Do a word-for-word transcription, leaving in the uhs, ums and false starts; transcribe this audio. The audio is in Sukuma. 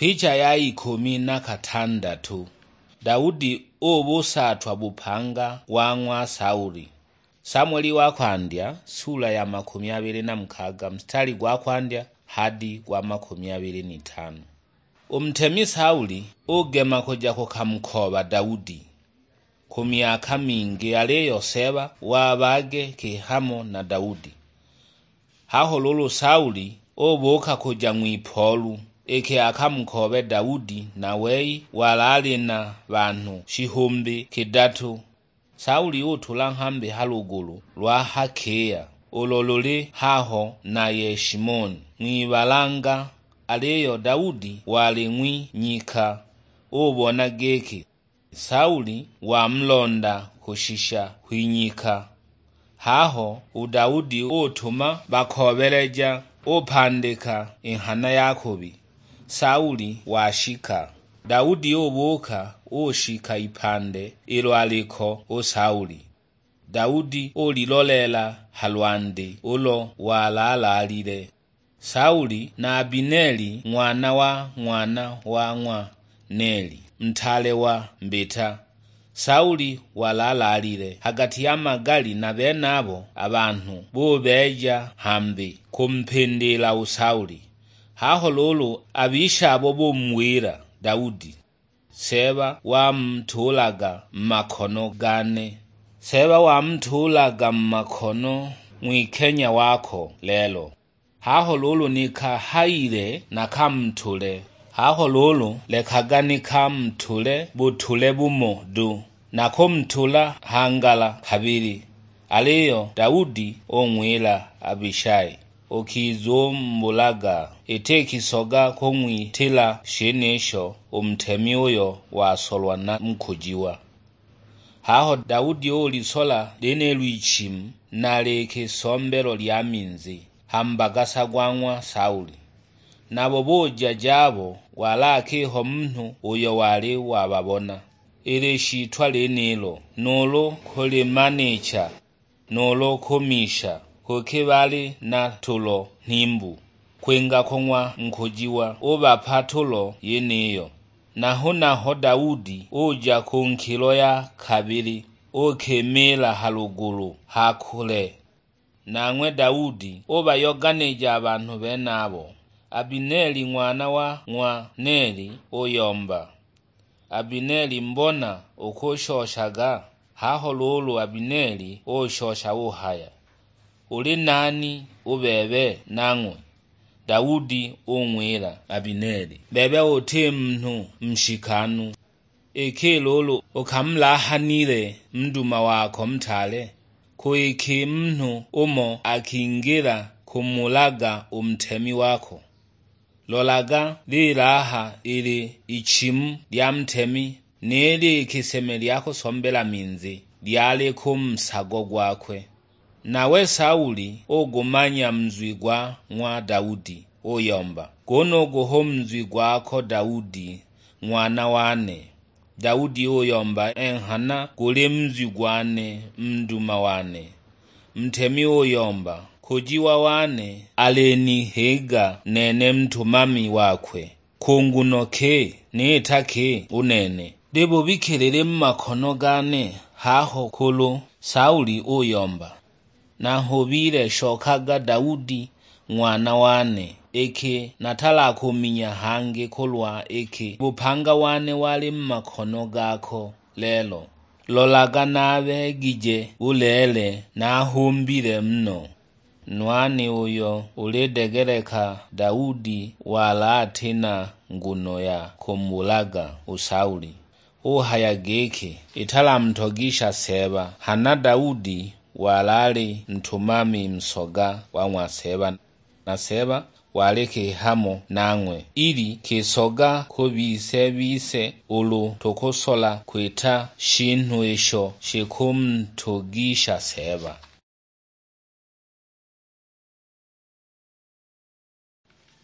Picha ya ikumi na katandatu. Daudi ubusaatwa bupanga wa ng'wa Sauli. Samueli wa kwandya, sula ya makumi abili na mukaga, mstari gwa kwandya hadi gwa makumi abili n'itano. U ntemi Sauli ugema kuja kukamukooba Daudi, ku myaka mingi, aliyo Seeba wabage kihamo na Daudi. Haho luulu Sauli ubuuka kuja ng'wipoolu, iki akamukoobe Daudi, na wei wali ali na banhu shihumbi kidatu. Sauli utula nghambi ha lugulu lwa ha kiya, ulo luli haho na Yeshimoni ng'wibalanga, aliyo Daudi wali ng'wi nyika. Ubona giki Sauli wamulonda kushisha kw'inyika. Haho u Daudi utuma bakoobeleja, upandika i nghana ya kubi. Sauli washika. Daudi ubuuka, ushika ipande ilo aliko u Sauli. Daudi uliloleela ha lwandi ulo walalaalile. Sauli na Abineli ng'wana wa ng'wana wa ng'wa Neli, ntaale wa mbita. Sauli walalaalile ha gati ya magali, na benabo a banhu bubeeja hambi kumpindiila u Sauli. Haho luulu a bishabo bumuwila Daudi, "Seeba wamutuulaga mu makono gane. Seeba wamutuulaga mu makono ng'wikenya wako lelo. Haho luulu ni kahayile nakamutule. Haho luulu lekaga nikamutule butule bumo du, nakumutula nghangala kabili." Aliyo Daudi ung'wila Abishai, "Ukizumubulaga, iti kisoga kung'witila shenisho u mutemi uyo wasolwa na mukujiwa." Haho Daudi ulisola lyenilo ichimu, na likisombelo lya minzi, ha mbagasa gwa ng'wa Sauli. Nabo buja jabo, wali akiho munhu uyo wali wababona. Ili shitwa lyenilo, nuulu kulimanicha, nuulu kumisha, kuki bali na tulo nhimbu, kwinga kung'wa nkujiwa ubapa tulo yeniyo. Na hunaho Daudi uja ku nkilo ya kabili, ukimiila ha lugulu ha kule. Nang'we Daudi ubayoganija a banhu benabo. Abineli ng'wana wa ng'wa Neli uyomba, "Abineli, mbona ukushoshaga?" Haho luulu Abineli ushosha uhaya, "Uli nani u bebe nang'we?" Daudi ung'wila Abineli, "Bebe uti munhu nshikanu. Iki luulu ukamulahanile muduma wako mutaale, ku iki munhu umo akingila kumulaga u mutemi wako. Lolaga, lilaha ili ichimu lya mutemi, ni likiseme lya kusombela minzi lyali ku nsago gwakwe." Nawe Sauli ugumanya munzwi gwa ng'wa Daudi, uyomba, "Gunugu hu munzwi gwako Daudi, ng'wana wane." Daudi uyomba, "Enghana guli munzwi gwane, muduma wane." Mutemi uyomba, "Kujiwa wane alinihiga nene mutumami wakwe. Ku nguno ki niita ki u nene? Libubikilile mu makono gane haho kulu." Sauli uyomba, "Nanghubile, shokaga Daudi ng'wana wane, iki natalakuminya hangi kulwa iki bupanga wane wali mu makono gako lelo. Lolaga, nabeegije buleele, nahumbile muno." Nwani uyo ulidegeleka Daudi wali ati na nguno ya kumubulaga u Sauli, uhaya giki, "Italamutogisha Seeba." Hana Daudi wali ali ntumami nsoga wa ng'wa Seeba, na Seeba wali kihamo nang'we, ili kisoga ku bise bise ulu tukusola kwita shinhu isho shikumutogisha Seeba.